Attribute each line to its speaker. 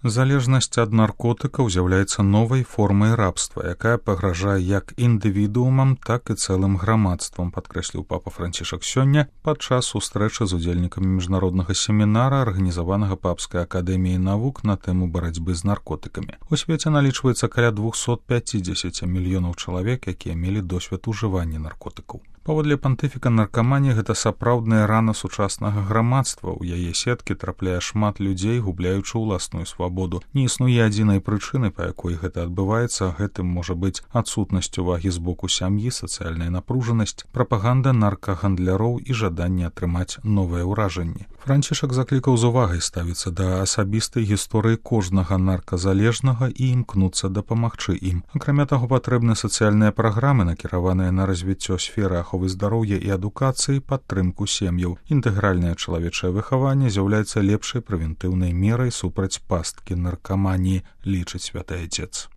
Speaker 1: Залежнасць ад наркотыкаў з'яўляецца новай формай рабства, якая пагражае як індывідуумам, так і цэлым грамадствам, падкрэсліў папа Францішак сёння падчас сустрэчы з удзельнікамі міжнароднага семінара, арганізаванага Папскай акадэміяй навук на тэму барацьбы з наркотыкамі. У свеце налічваецца каля 250 мільёнаў чалавек, якія мелі досвед ужывання наркотыкаў. Паводле пантыфіка, наркаманія – гэта сапраўдная рана сучаснага грамадства. У яе сеткі трапляе шмат людзей, губляючы ўласную свабоду. Не існуе адзінай прычыны, па якой гэта адбываецца. Гэтым можа быць адсутнасць увагі з боку сям'і, сацыяльная напружанасць, прапаганда наркагандляроў і жаданне атрымаць новыя ўражанні. Францішак заклікаў з увагай ставіцца да асабістай гісторыі кожнага нарказалежнага і імкнуцца дапамагчы ім. Акрамя таго, патрэбны сацыяльныя праграмы, накіраваныя на развіццё сферы аховы здароўя і адукацыі, падтрымку сем'яў. Інтэгральнае чалавечае выхаванне з'яўляецца лепшай прэвентыўнай мерай супраць пасткі наркаманіі, лічыць святы айцец.